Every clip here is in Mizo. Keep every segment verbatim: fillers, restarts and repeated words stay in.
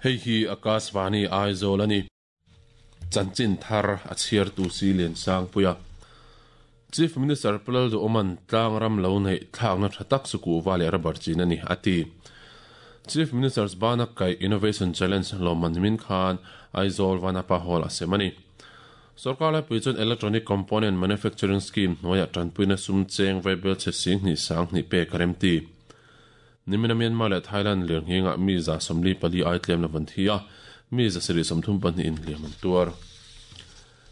Hei hi Akashvani Aizawl a ni. Chanchin thar a chhiartu si lian sang puia. Chief Minister Pu Lalduhoma'n tlang ram lo neih thlakna tha tak chu kuhva leh rubber chin a ni, a ti. Chief Minister's Bana Kai Innovation Challenge lawmman min khan Aizawl Vanapa Hall a sem a ni. Sorkar laipui chuan Electronic Component Manufacturing Scheme hnuaiah tanpuina sum cheng vaibel chhe sing hnih sang hnih pek a rem ti. Nimina Myanmar leh Thailand lirnghingah mi za sawmli pali ai tlem lo van thi a, mi za sarih sawmthum pahnih in hliam an tuar.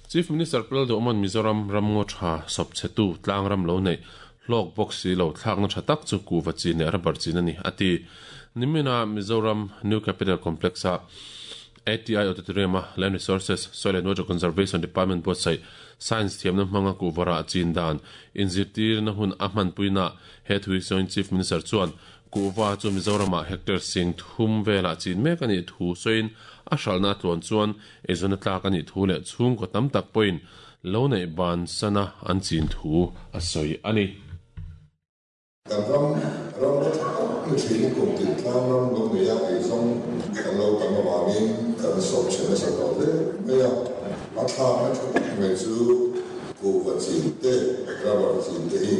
Chief Minister Pu Lalduhoma'n Mizoram ramngaw tha sawp chhetu tlang ram lo neih hlawk bawk si lo thlakna tha tak chu kuhva chin leh rubber chin a ni, a ti. Nimina Mizoram New Capital Complex-a A T I Auditorium-a Land Resources, Soil and Water Conservation Department buatsaih Science thiamna hmanga kuhva rah chin dan inzirtirna hun a hmanpuina he thu hi sawiin Chief Minister chuan kuhva chu Mizoramah hectare sing thum velah chin mek a nih thu sawiin a hralhna a tluan chuan eizawn a tlak a nih thu leh chhungkaw tam tak pawhin lo neih ban sana an chin thu a sawi a ni. Kan ram ram la tha tak ni thin kum tin tlang ram lo nei a eizawng kan lo tam avangin kan sawp chhe nasa tawh hle mai a. A thlakna tha tak mai chu kuhva chin te, rubber chin te hi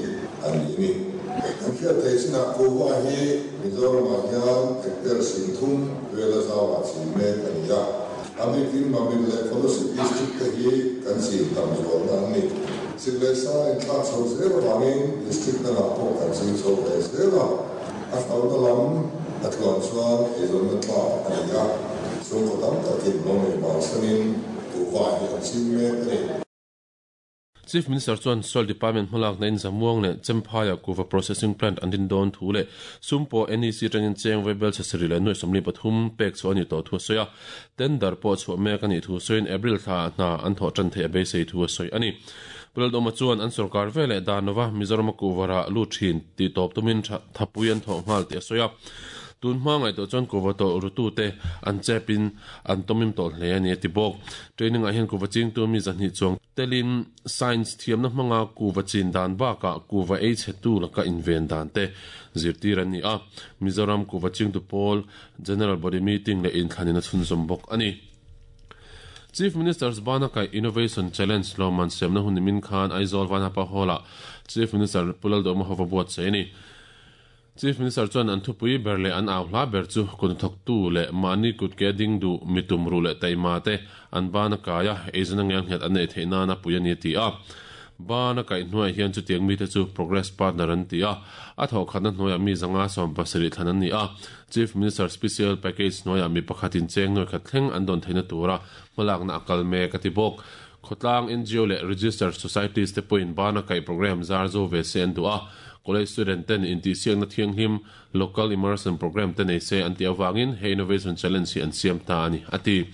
an ni a ni. Kan hriat theih chinah kuhva hi Mizoramah hian hectare singthum vela zauah chin mek a ni a. A bikin Mamit leh Kolasib District te hi kan chin tam zualna an ni. Sik leh sa inthlak chho zel avangin District dangah pawh kan ching chho ve zel a. A hlauhna lam a tluan chuan eizawnna tlak a ni a, chhungkaw tam takin lo nei bansanin kuhva hi an ching mek a ni. Chief Minister chuan Soil Department hmalakna in Zamuang leh Chemphaiah kuhva processing plant an din dawn thu leh sum pawh N E C atangin cheng vaibel chhe sarih leh nuai sawmli pathum pek chhuah a nih tawh thu a sawi a. Tender pawh chhuah mek a nih thu sawiin April thla hna an thawh tan theih a beisei thu a sawi a ni. Pu Lalduhoma chuan an sorkar ve leh dan lova Mizoram a kuhva rah lut thin tih tawp tumin thapui an thawh nghal tih a sawi a. Tun hma ngaihtuah chuan kuhva tawlh rutute an chepin an tawmim tawh hle a ni a ti bawk. Training ah hian kuhva chingtu mi zahnih chuang telin science thiamna hmanga kuhva chin dan bakah kuhva ei chhetu laka inven dan te zirtir an ni a. Mizoram kuhva chingtu pawl General Body Meeting leh inthlan in a chhunzawm bawk a ni. Chief Minister's Banakai Innovation Challenge lawmman siamna hun nimin khan Aizawl Vanapa Hall-ah Chief Minister Pu Lalduhoma hova buatsaih a ni. Chief Minister chuan an thupui ber leh an au hla ber chu kutnathawktu leh mahni kutke ding duh mitum ruh leh taima te an ban a kai a, eizawn a ngelnghet an neih theih nana pui a ni a ti a. Ban a kaih hnuaiah hian chutiang mite chu Progress Partner an ti a, a thawhkhatna hnuaiah mi zanga sawm pasarih thlan an ni a. Chief Minister Special Package hnuaiah mi pakhatin cheng nuai khat thleng an dawn theihna tura hmalakna a kal mek a ti bawk. Khawtlang N G O leh Registered Societies te pawhin ban a kaih program zar zo ve se an duh a. College student ten intihsiakna thianghlim Local Immersion Program te nei se an tih avangin he Innovation Challenge hi an siam ta a ni, a ti.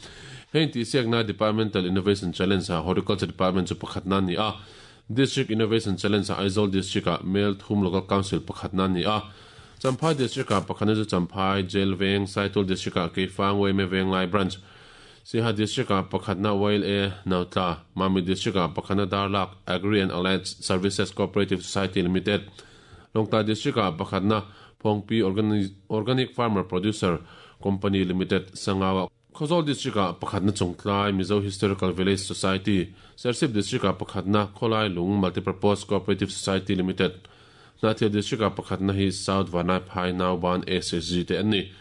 He intihsiakna Departmental Innovation Challenge ah Horticulture Department chu pakhatna a ni a. District Innovation Challenge ah Aizawl District ah Mel thum Local Council pakhatna a ni a. Champhai District ah pakhatna chu Champhai, Jail Veng, Saitual District ah Keifang Uaime Venglai Branch, Siaha District ah pakhatna Y L A Nautla, Mamit District ah pakhatna Darlak Agri and Allied Services Cooperative Society Limited, Lawngtlai District ah pakhatna Phawngpi Organic Farmer Producer Company Limited, Sangau ah Khawzawl District ah pakhatna Chawngtlai Mizo Historical Village Society, Serchhip District ah pakhatna Khawlai Lung Multipurpose Cooperative Society Limited, Hnahthial District ah pakhatna hi South Vanaiphai Nauban S S G te an ni.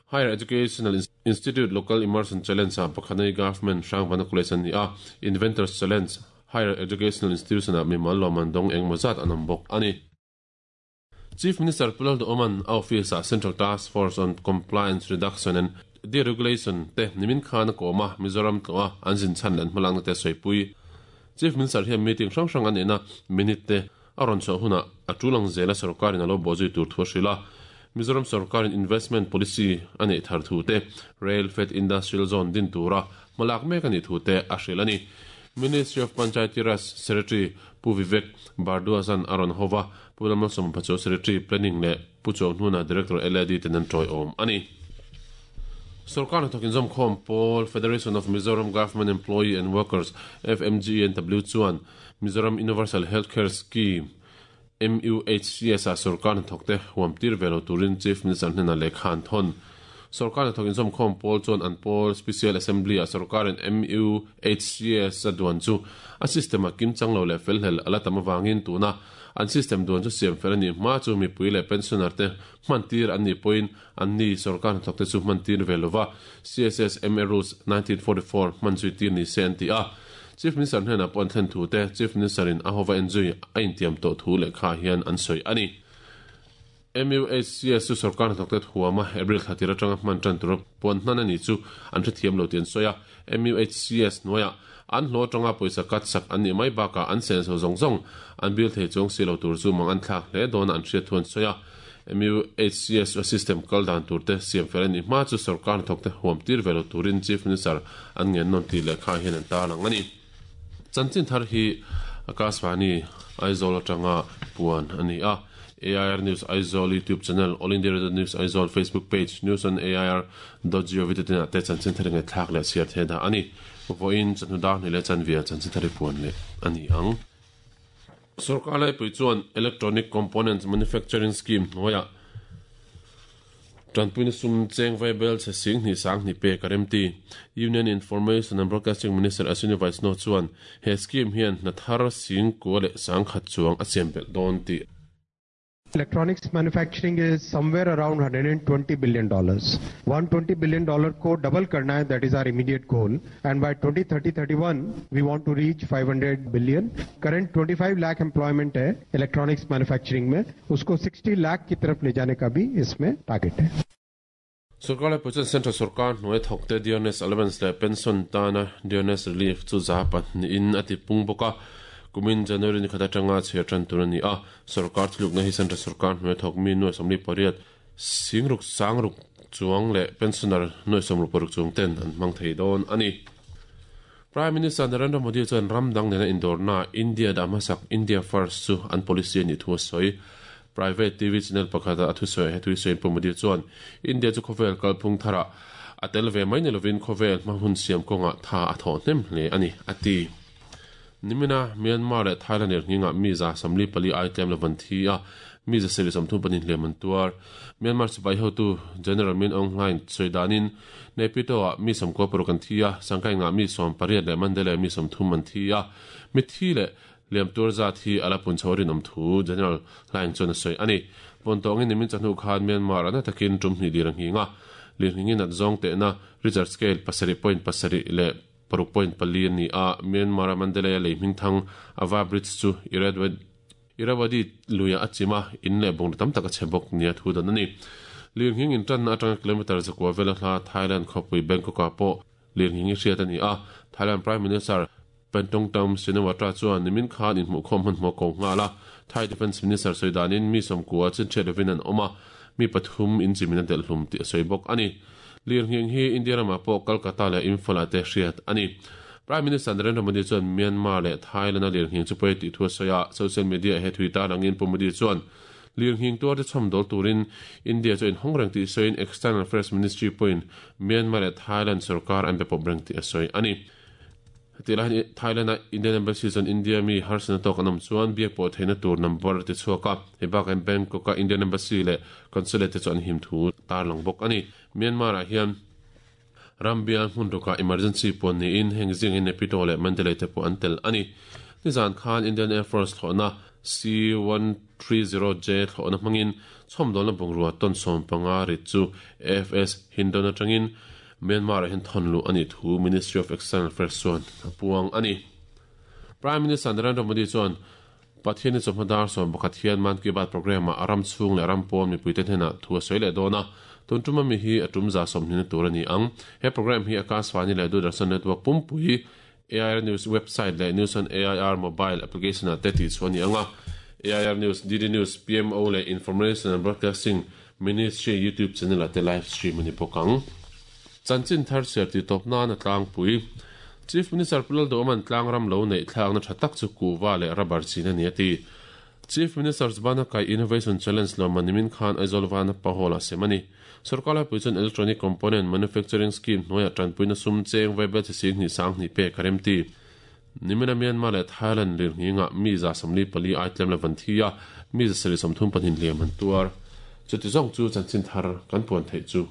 Higher Educational Institute Local Immersion Challenge ah pakhatna hi Government Hrangvana College an ni a, Inventors Challenge Higher Educational Institution ah mimal lawmman dawng engmaw zat an awm bawk a ni. Chief Minister Pu Lalduhoma'n a office ah Central Task Force on Compliance Reduction and Deregulation te nimin khan a kawm a, Mizoram tlawh a an zin chhan leh an hmalakna te a sawipui. Chief Minister hian meeting hrang hrang a neihna minute te a rawn chhuah hunah a tul ang zela sorkarin a lo bawhzui tur thu a hrilh a. Mizoram sorkarin investment policy a neih thar thu te, Rail Fed Industrial Zone din tura hmalak mek a nih thu te a hrilh a ni. Ministry of Panchayati Raj Secretary Pu Vivek Bhardwaj-a'n a rawn hova, Pu Lalmalsawma Pachuau Secretary Planning leh Pu Chuanghnuna Director L A D ten an tawiawm a ni. Sorkar hnathawk inzawmkhawm pawl Federation of Mizoram Government Employee and Workers, F M G E N W, chuan Mizoram Universal Health Care Scheme, M U H C S, ah sorkar hnathawkte huam tir ve lo turin Chief Minister hnenah lehkha an thawn. Sarkar hnathawk inzawmkhawm pawl chuan an pawl Special Assembly a sarkarin M U H C S a duan chu a system a kimchang lo leh felhlel ala tam awangin tuna an system duan chu siam fel ani hma chu mipui leh pensioner te hmantir an ni pawhin an ni sarkar hnathawk te chu hmantir ve lova C S S M A Rules nineteen forty-four hman zui tir ni se an ti a. Chief Minister hnena pawh an thlen thu te Chief Minister in a hova enzui a intiam tawh thu leh kha hian an sawi ani. M U H C S chu sarkar hnathawk te huama April thla atanga hman tan tur puan hnan ani chu an hrethiam lo ti an sawi a. M U H C S hnuaia an hlawh atanga pawisa cut sak an nih mai bakah an sen so zawng zawng an bill thei chuang si lo tur chu mang an thlak hle dawn an hriat thu an sawi a. M U H C S system kal dan tur te siam fel ani hma chu sarkar hnathawk te huam tir ve lo turin Chief Minister an ngen nawn ti leh kha hian an tarlang ani. Chanchin thar hi Akashvani Aizawl atanga puan ani a. A I R News Aizawl YouTube channel, All India Radio News Aizawl Facebook page, news on A I R dot gov te te chanchin thar ngai thlak leh siar the da ani. Voin chanu dar ni le chanvia chanchin thar puan le ani ang. Sarkar lai pui chuan Electronic Components Manufacturing Scheme hnuaia tanpuina sum cheng vaibel che sing ni sang ni pe karemti. Union Information and Broadcasting Minister Ashwini Vaishnaw chuan he scheme hian na thar sing ko le sang khat chuang a siam bel dawn ti. Electronics manufacturing is somewhere around one hundred twenty billion dollars. one hundred twenty billion dollar को double करना है, that is our immediate goal, and by twenty thirty thirty-one we want to reach five hundred billion. Current twenty-five lakh employment है electronics manufacturing में, उसको sixty lakh की तरफ ले जाने का भी इसमें टारगेट है. Sarkar lai pui chuan central sarkar hnuai thawkte dearness allowance leh pension tana dearness relief chu za pahnihin a ti pung bawk a. Kumin January ni khat atanga chhiar tan tur ani a. Sarkar thilukna hi central sarkar hnuai thawk mi nuai sawmli pariat singruk sangruk chuang leh pensioner nuai sawmruk paruk chuang ten an hmang thei dawn ani. Prime Minister Narendra Modi chuan ram dang nena indawrna India dah hmasak, India First chu an policy ani thu a sawi. Private T V channel pakhata a thusawi he thusawiin Pu Modi chuan India chu khawvel kalphung thara a tel ve mai ni lovin khawvel hma hun siam kawnga tha a thawh hnem hle ani a ti. Nimina Myanmar leh Thailand er nginga mi za samli pali item levan thi a, mi za seri samthum panin hleman tuar. Myanmar sipai hotu General Min Aung Hlaing soidanin Nepito a mi sam ko paruk an thi a, sangkai nga mi som pariat le Mandalay mi som thum an thi a. Mi thi le liam tur za thi ala pun chorin om thu General Hlaing chuan a soi ani. Pon tongin nimin chanu khan Myanmar ana takin tum ni dirang hinga lir hingin at zong te na Richter scale pasari point pasari le paruk point pali ni a. Myanmar Mandalay le hming thang Ava Bridge chu Irrawaddy luya achima in le bong tam taka chebok nia thu dan ani. Lir hing in tan atanga kilometer zakwa vela hla Thailand khopui Bangkok a po lir hing hriat ani a. Thailand Prime Minister Paetongtarn Shinawatra chuan nimin khan in hmu khom han hmu ko nga la. Thai Defense Minister soidanin mi som kuwa chin chelevin an oma, mi pathum in chimin a del hlum ti soibok ani. Lir hing hi India rama po Kolkata le Imphal te hriat ani. Prime Minister Narendra Modi chuan Myanmar le Thailand a lir hing chu poi ti thu soya. Social media he Twitter langin Pu Modi chuan lir hing tuar te chom dol turin India chu in hongrang ti soin External Affairs Ministry point Myanmar le Thailand sarkar an be pobrang ti soi ani. Tila Thailand a Indian Embassy chuan India mi harsana tok anam chuan biak pawh theihna tur number ti chhuak a. Hei bakah Bangkok a Indian Embassy leh consulate te chu an him thu tarlang bawk ani. Myanmar ah hian rambial hmun ruka emergency pawn niin heng zing in Naypyidaw leh Mandalay te pawh an tel ani. Nizan khan Indian Air Force thlawhna C one three zero J thlawhna hmangin chhawmdawlna bungrua ton sawm panga rit chu A F S Hindon atangin Myanmar hin thonlu ani thu Ministry of External Affairs chuan a puang ani. Prime Minister Narendra Modi chuan Pathian chawhmadar sawm pakhat hian Man Ki Baat program a aram chhung leh ram pawn mipui te hnenah thu a sawi leh dawn a. Tun tuma mi hi a tum za sawmhnih tur ani ang. He program hi Akashvani leh Doordarshan network pumpui, A I R News website leh News on A I R mobile application a te ti chu ani anga. A I R News, D D News, P M O leh Information and Broadcasting Ministry YouTube channel a te live stream ani bawk ang. Chanchin thar ser ti top na na tlang pui. Chief Minister Pulal Doman tlang ram lo nei thlang na thatak chu kuwa le rubber chin ani ati. Chief Minister Zbana Kai Innovation Challenge lo manimin khan Aizawl Vana pahola semani. Sarkar puichon Electronic Component Manufacturing Scheme noya tanpuina sum cheng vaibel chi sing ni sang ni pe karemti. Nimina Myanmar le Thailand lir nginga mi za samli pali aitlem le vanthia, mi za seri samthum panin liam an tuar. Chuti zong chu chanchin thar kan puan thei chu.